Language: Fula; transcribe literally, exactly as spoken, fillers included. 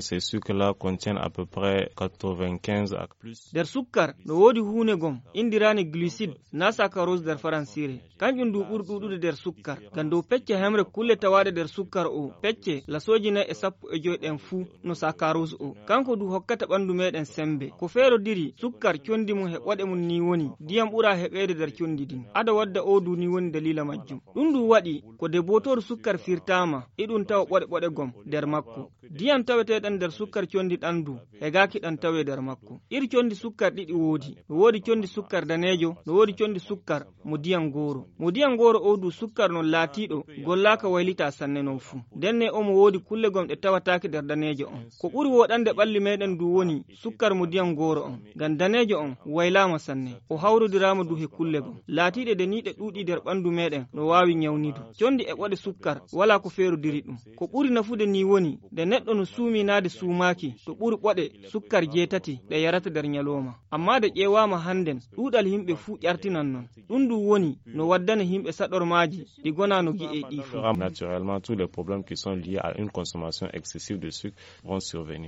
Ces sucres-là contiennent à peu près quatre-vingt-quinze à plus. Nder sukkar no woodi huunde gom inndiraande glucide, naa sakarose nder faransiire. Kanƴum ndu ɓuri ɗuuɗude nder sukkar. Ngam dow pecce hemre kulle tawaaɗe nder sukkar o, pecce lasooji nayi e sappo e joy ɗen fuu no sakarose o. Kanko ndu hokkata ɓanndu meeɗen semmbe. Ko feerodiri sukkar conndi mum he ɓoɗe mum nii woni ndiyam ɓuraa heɓeede nder conndi ndin. Ado wadda o ndu nii woni daliila majjum. Ɗum ndu waɗi ko debootoru sukkar firtaama, iɗum tawa ɓoɗe ɓoɗe gom nder makko. Ndiyam taweteeɗam nder sukkar conndi ɗam ndu hegaaki ɗam tawee nder makko. Ir conndi sukkar ɗiɗi woodi. No woodi conndi sukkar daneejo, no woodi conndi sukkar mo ndiyam gooro. Mo ndiyam gooro o ndu sukkar non laatiiɗo gollaaka waylitaa sanne non fuu. Ndenne omo woodi kulle gom ɗe tawataake nder daneejo on. Ko ɓuri woɗande ɓalli meeɗen ndu woni sukkar mo ndiyam gooro on. Ngam daneejo on waylaama sanne. O hawrodiraama ndu he kulle gom. Laatiiɗe de nii ɗe ɗuuɗi nder ɓanndu meeɗen no waawi ñawnidu. Conndi e ɓoɗe sukkar walaa ko feerodiri ɗum. Ko ɓuri nafude nii woni nde neɗɗo no suuminaade suumaaki to ɓuri ɓoɗe sukkar jeetati ɗe yarata nder ñalooma. Ammaa nde ƴeewaama hannden, ɗuuɗal yimɓe fuu ƴartinan non. Ɗum ndu woni no waddana yimɓe saɗormaaji ɗi gonaa no gi'ee ɗii fuu. Naturellement, tous les problèmes qui sont liés à une consommation excessive de sucre vont survenir.